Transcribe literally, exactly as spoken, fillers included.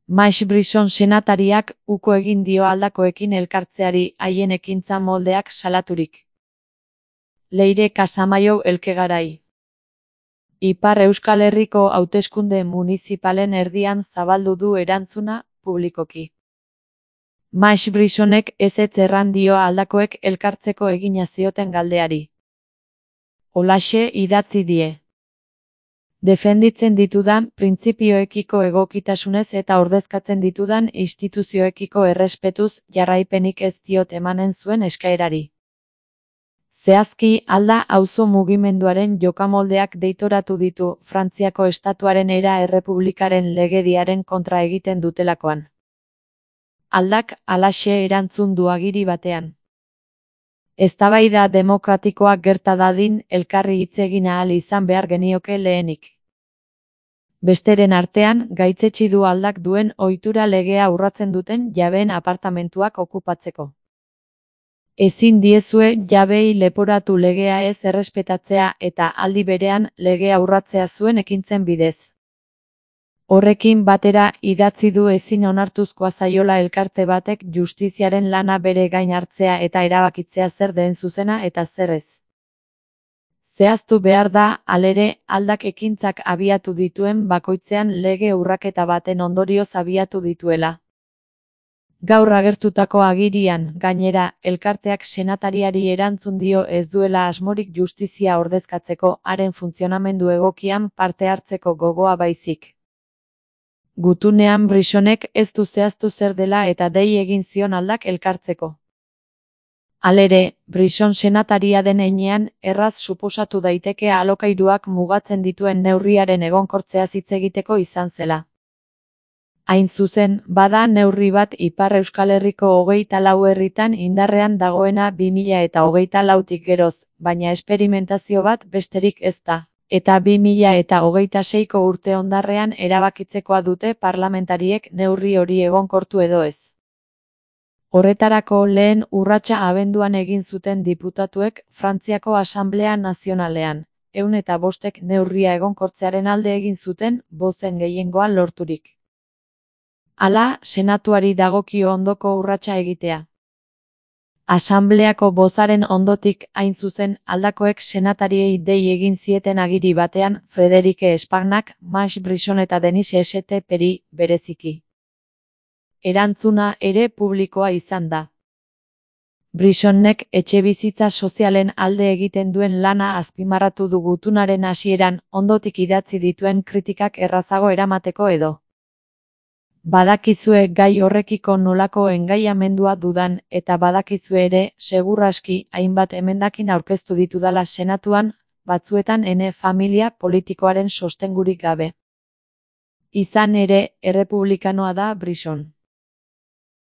Max Brisson senatariak uko egin dio aldakoekin elkartzeari haien ekintza moldeak salaturik. Leire Casamayo Elkegarai. Ipar Euskal Herriko hauteskunde munizipalen erdian zabaldu du erantzuna publikoki. Max Brissonek ezetz erran dio aldakoek elkartzeko egina zioten galdeari. Holaxe idatzi die. Defenditzen ditudan printzipioekiko egokitasunez eta ordezkatzen ditudan instituzioekiko errespetuz jarraipenik ez diot emanen zuen eskaerari. Zehazki alda auzo mugimenduaren jokamoldeak deitoratu ditu Frantziako estatuaren era errepublikaren legediaren kontra egiten dutelakoan. Aldak halaxe erantzun du agiri batean. Eztabaida demokratikoak gerta dadin elkarri hitz egin ahal izan behar genioke lehenik. Besteren artean, gaitzetsi du aldak duen ohitura legea urratzen duten jabeen apartamentuak okupatzeko. Ezin diezue jabeei leporatu legea ez errespetatzea eta aldi berean legea urratzea zuen ekintzen bidez. Horrekin batera idatzi du ezin onartuzkoa zaiola elkarte batek justiziaren lana bere gain hartzea eta erabakitzea zer den zuzena eta zer ez. Zehaztu behar da, halere, aldak ekintzak abiatu dituen bakoitzean lege urraketa baten ondorioz abiatu dituela. Gaur agertutako agirian, gainera, elkarteak senatariari erantzun dio ez duela asmorik justizia ordezkatzeko haren funtzionamendu egokian parte hartzeko gogoa baizik. Gutunean Brissonek ez du zehaztu zer dela eta dei egin zion aldak elkartzeko. Halere, Brisson senataria den heinean, erraz suposatu daiteke alokairuak mugatzen dituen neurriaren egonkortzeaz hitz egiteko izan zela. Hain zuzen, bada neurri bat Ipar Euskal Herriko hogeita lau herritan indarrean dagoena bi mila eta hogeita lautik geroz, baina esperimentazio bat besterik ez da, eta bi mila eta hogeita seiko urte ondarrean erabakitzekoa dute parlamentariek neurri hori egonkortu edo ez. Horretarako lehen urratsa abenduan egin zuten diputatuek Frantziako Asanblea Nazionalean, ehun eta bostek neurria egonkortzearen alde egin zuten bozen gehiengoa lorturik. Hala, senatuari dagokio ondoko urratsa egitea. Asanbleako bozaren ondotik hain zuzen aldakoek senatariei dei egin zieten agiri batean Frederike Espagnak, Max Brisson eta Denis St. Peri bereziki. Erantzuna ere publikoa izan da. Brissonnek etxebizitza sozialen alde egiten duen lana azpimarratu du gutunaren hasieran ondotik idatzi dituen kritikak errazago eramateko edo. Badakizue gai horrekiko nolako engaiamendua dudan eta badakizue ere, segur aski, hainbat emendakin aurkeztu ditudala senatuan, batzuetan ene familia politikoaren sostengurik gabe. Izan ere, errepublikanoa da Brisson.